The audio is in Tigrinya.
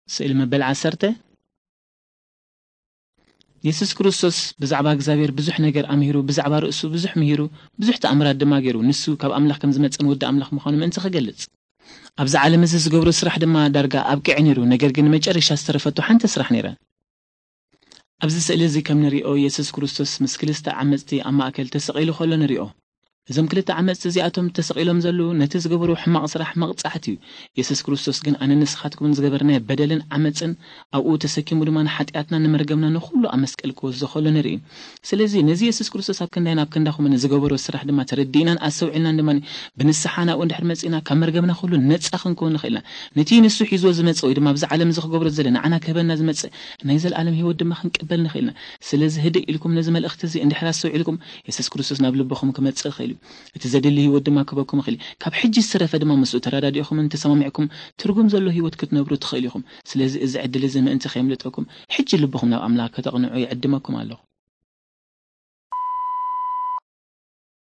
ስእሊ መበል ዓሰርተ። የሱስ ክርስቶስ ብዛዕባ እግዚኣብሔር ብዙሕ ነገር ኣምሂሩ፣ ብዛዕባ ርእሱ ብዙሕ ምሂሩ፣ ብዙሕ ተኣምራት ድማ ገይሩ። ንሱ ካብ ኣምላኽ ከም ዝመጸን ወዲ ኣምላኽ ምዃኑ ምእንቲ ክገልጽ። ኣብዚ ዓለም እዚ ዝገብሮ ስራሕ ድማ ዳርጋ ኣብቂዐ ነይሩ፣ ነገር ግን መጨረሻ ዝተረፈቶ ሓንቲ ስራሕ ነይራ። ኣብዚ ስእሊ እዚ ከም ንሪኦ፣ የሱስ ክርስቶስ ምስ ክልተ ዓመጽቲ ኣብ ማእከል ተሰቒሉ ከሎ ንሪኦ። እዞም ክልተ ዓመጽቲ እዚኣቶም ተሰቒሎም ዘለዉ ነቲ ዝገበርዎ ሕማቕ ስራሕ መቕጻዕቲ እዩ። የሱስ ክርስቶስ ግን ኣነ ንስኻትኩምን ዝገበርናዮ በደልን ዓመጽን ኣብኡ ተሰኪሙ ድማ ንሓጢኣትና ንመርገምና ንኹሉ ኣብ መስቀል ክወስዶ ከሎ ንርኢ። ስለዚ ነዚ የሱስ ክርስቶስ ኣብ ክንዳይን ኣብ ክንዳኹምን ዝገበሮ ስራሕ ድማ ተረዲእናን ኣስተውዒልናን ድማ ብንስሓ ናብኡ እንድሕር መጺእና ካብ መርገምና ኩሉ ነጻ ክንከውን ንኽእል ኢና። ነቲ ንሱ ሒዝዎ ዝመጽእ ወይ ድማ ኣብዚ ዓለም እዚ ክገብሮ ዝደለ ንዓና ክህበና ዝመጽእ ናይ ዘለኣለም ህይወት ድማ ክንቅበል ንኽእል ኢና። ስለዚ ህድእ ኢልኩም ነዚ መልእኽቲ እዚ እንድሕር ኣስተውዒልኩም የሱስ ክርስቶስ ናብ ልብኹም ክመጽእ ይኽእል እዩ። እቲ ዘድሊ ህይወት ድማ ክህበኩም ይኽእል እዩ። ካብ ሕጂ ዝተረፈ ድማ ምስኡ ተረዳዲእኹምን ተሰማሚዕኩም ትርጉም ዘሎ ህይወት ክትነብሩ ትኽእል ኢኹም። ስለዚ እዚ ዕድል እዚ ምእንቲ ከየምልጠኩም ሕጂ ልብኹም ናብ ኣምላኽ ከተቕንዑ ይዕድመኩም ኣለኹ።